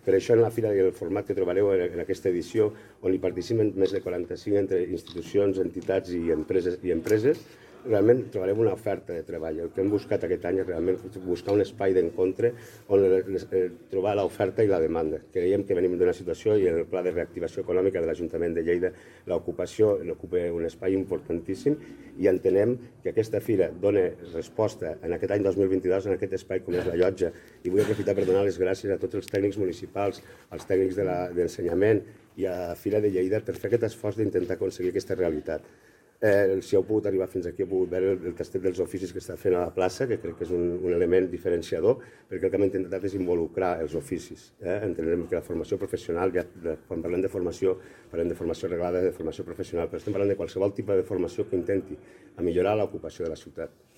Per això en la fira i el format que trobareu en aquesta edició, on hi participen més de 45 entre institucions, entitats i empreses, realment trobarem una oferta de treball. El que hem buscat aquest any és realment buscar un espai d'encontre on trobar l'oferta i la demanda. Creiem que venim d'una situació i en el pla de reactivació econòmica de l'Ajuntament de Lleida l'ocupació ocupa un espai importantíssim i entenem que aquesta fira dona resposta en aquest any 2022 en aquest espai com és la llotja. I vull aprofitar per donar les gràcies a tots els tècnics municipals, als tècnics d'ensenyament i a Fira de Lleida per fer aquest esforç d'intentar aconseguir aquesta realitat. Si heu pogut arribar fins aquí, heu pogut veure el tastet dels oficis que està fent a la plaça, que crec que és un element diferenciador, perquè el que hem intentat és involucrar els oficis. Entenem que la formació professional, quan parlem de formació reglada, de formació professional, però estem parlant de qualsevol tipus de formació que intenti millorar l'ocupació de la ciutat.